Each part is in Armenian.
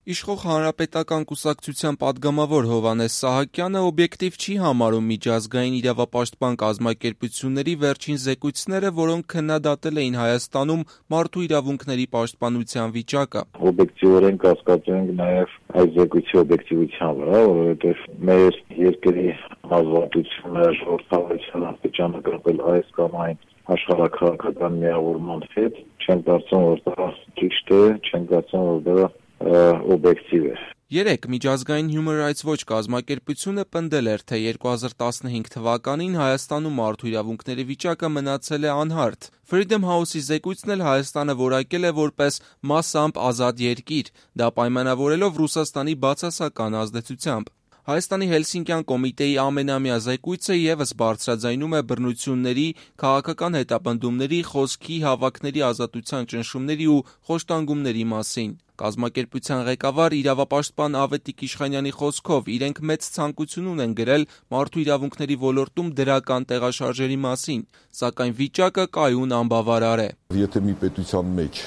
Իշխող Հանրապետական կուսակցության պատգամավոր Հովհաննես Սահակյանը օբյեկտիվ չի համարում միջազգային իրավապաշտպան կազմակերպությունների վերջին զեկույցները, որոնք քննադատել էին Հայաստանում մարդու իրավունքների պաշտպանության վիճակը։ Օբյեկտիվորեն կասկածում ենք նաև այս զեկույցի օբյեկտիվության վրա, որովհետև մեր երկրի ազատությունը, ժողովրդավարության աստիճանը կապել այս կամ այն աշխարհաքաղաքական միավորման հետ, չեմ կարծում, որ դա ճիշտ է, չեմ կարծում, որ դա օբյեկտիվ է։ Երեկ միջազգային Human Rights Watch կազմակերպությունը պնդել էր, թե 2015 թվականին Հայաստանում մարդու իրավունքների վիճակը մնացել է անհարթ։ Freedom House-ի զեկույցն էլ Հայաստանը որակել է որպես մասամբ ազատ երկիր, դա պայմանավորելով Ռուսաստանի բացասական ազդեցությամբ։ Հայաստանի Հելսինկյան կոմիտեի ամենամյա զեկույցը ևս բարձրաձայնում է բռնությունների, քաղաքական հետապնդումների, խոսքի, հավաքների ազատության ճնշումների ու խոշտանգումների մասին։ Կազմակերպության ղեկավար իրավապաշտպան Ավետիք Իշխանյանի խոսքով իրենք մեծ ցանկություն ունեն գրել մարդու իրավունքների ոլորտում դրական տեղաշարժերի մասին, սակայն վիճակը կայուն անբավարար է։ Եթե մի պետության մեջ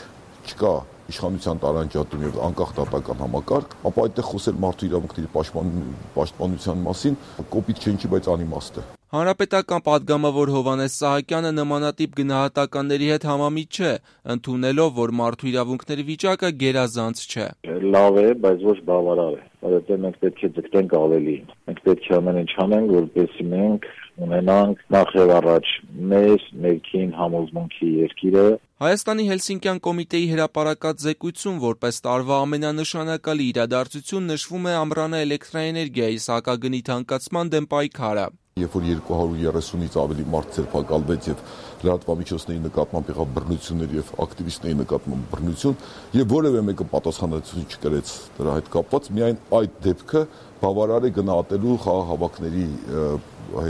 չկա իշխանության տարանջատում եւ անկախ դատական համակարգ, ապա այդտեղ խոսել մարդու իրավունքների պաշտպանության մասին կոպիտ չէ, բայց անիմաստ է։ Հանրապետական պատգամավոր Հովհաննես Սահակյանը նմանատիպ գնահատականների հետ համամիտ չէ, ընդունելով, որ մարդու իրավունքների վիճակը գերազանց չէ։ Լավ է, բայց ոչ բավարար է, որովհետև մենք պետք է ձգտենք ավելին։ Մենք պետք է ամեն ինչ անենք, որպեսզի մենք ունենանք նախ եւ առաջ մեր ներքին համոզմունքի երկիրը։ Հայաստանի Հելսինկյան կոմիտեի հրապարակած զեկույցում որպես տարվա ամենանշանակալի իրադարձություն նշվում է ամռանը էլեկտրաէներգիայի սակագնի թանկացման դեմ պայքարը։ Երբ որ 230-ից ավելի մարդ ձերբակալվեց եւ լրատվամիջոցների նկատմամբ եղավ բռնություններ եւ ակտիվիստների նկատմամբ բռնություն եւ որևէ մեկը պատասխանատվություն չկրեց դրա հետ կապված, միայն այդ դեպքը բավարար է գնահատելու խաղաղ հավաքների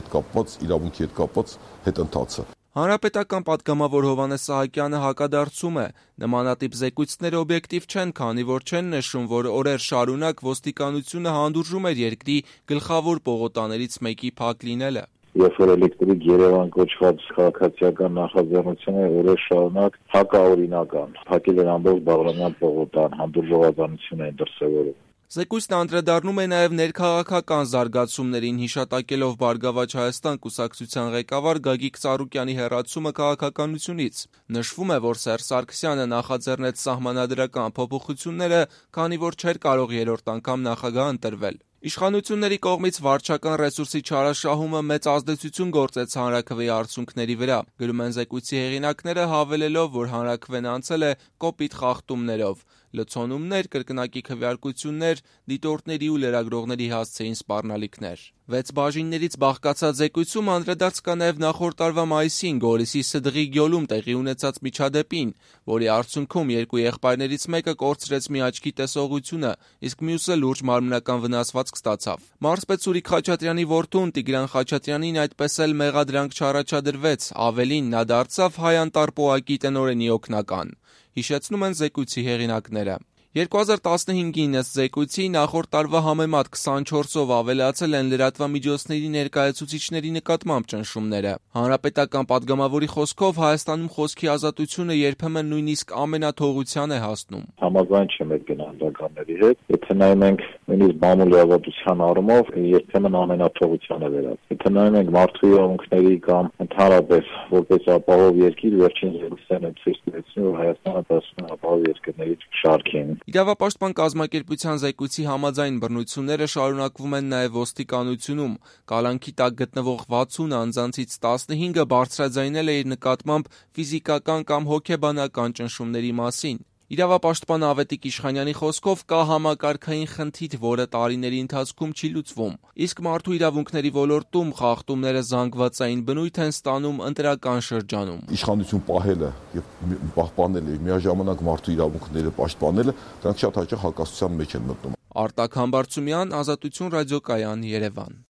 հետ կապված, իրավունքի հետ կապված հետընթացը։ Հանրապետական պատգամավոր Հովհաննես Սահակյանը հակադարձում է, նմանատիպ զեկույցները օբյեկտիվ չեն, քանի որ չեն նշում, որ օրեր շարունակ ոստիկանությունը հանդուրժում էր երկրի գլխավոր պողոտաներից մեկի փակ լինելը։ Երբ որ էլեկտրիկ Երևան կոչված քաղաքացիական նախաձեռնությունը օրեր շարունակ հակաօրինական, փակել էր ամբողջ Բաղրամյան պողոտան, հանդուրժողականություն էին դրսևորում։ Զեկույցն անդրադառնում է նաև ներքաղաքական զարգացումներին, հիշատակելով «Բարգավաճ Հայաստան» կուսակցության ղեկավար Գագիկ Ծառուկյանի հեռացումը քաղաքականությունից։ Նշվում է, որ Սերժ Սարգսյանը նախաձեռնեց սահմանադրական փոփոխությունները, քանի որ չէր կարող երրորդ անգամ նախագահ ընտրվել։ Իշխանությունների կողմից վարչական ռեսուրսի չարաշահումը մեծ ազդեցություն գործեց հանրաքվեի արդյունքների վրա, գրում են զեկույցի հեղինակները, հավելելով, որ հանրաքվեն անցել է կոպիտ խախտումներով։ Լցոնումներ, կրկնակի քվեարկություններ, դիտորդների ու լրագրողների հասցեին սպառնալիքներ։ 6 բաժիններից բաղկացած զեկույցում անդրադարձ կա նաև նախորդ տարվա մայիսին Գորիսի Սդղի գյուլում տեղի ունեցած միջադեպին, որի արդյունքում երկու եղբայրներից մեկը կորցրեց մի աչքի տեսողությունը, իսկ մյուսը լուրջ մարմնական վնասվածք ստացավ։ Մարզպետ Սուրիկ Խաչատրյանի որդուն Տիգրան Խաչատրյանին այդպես էլ մեղադրանք չառաջադրվեց, ավելին նա դարձավ Հայ անտարպոակի տնօրենի օգնական։ Հիշեցնում են զեկույցի հեղինակները։ 2015-ին ըստ զեկույցի նախորդ տարվա համեմատ 24-ով ավելացել են լրատվամիջոցների ներկայացուցիչների նկատմամբ ճնշումները։ Հանրապետական պատգամավորի խոսքով Հայաստանում խոսքի ազատությունը երբեմն նույնիսկ ամենաթողության է հասնում։ Համաձայն չեմ այդ գնահատականների հետ, եթե նայում ենք նույնիսկ բամուլի ազատության առումով, երբեմն ամենաթողության է վերածվում։ Եթե նայում ենք մարդու իրավունքների կամ ընդհանրապես որպես ապահով երկիր, վերջին զեկույցները ցույց տվեցին, որ Հայաստանը դասում է ապահով երկրների շարքին։ Իրավապաշտպան կազմակերպության զեկույցի համաձայն բռնությունները շարունակվում են նաև ոստիկանությունում։ Կալանքի տակ գտնվող 60 անձանցից 15-ը բարձրաձայնել է իր նկատմամբ ֆիզիկական կամ հոգեբանական ճնշումների մասին։ Իրավապաշտպան Ավետիք Իշխանյանի խոսքով կա համակարգային խնդիր, որը տարիների ընթացքում չի լուծվում, իսկ մարդու իրավունքների ոլորտում խախտումները զանգվածային բնույթ են ստանում ընտրական շրջանում։ Իշխանություն պահելը եւ պահպանելը եւ միաժամանակ մարդու իրավունքները պաշտպանելը, դրանք շատ հաճախ հակասության մեջ են մտնում։ Արտակ Համբարձումյան, Ազատություն ռադիոկայան, Երևան։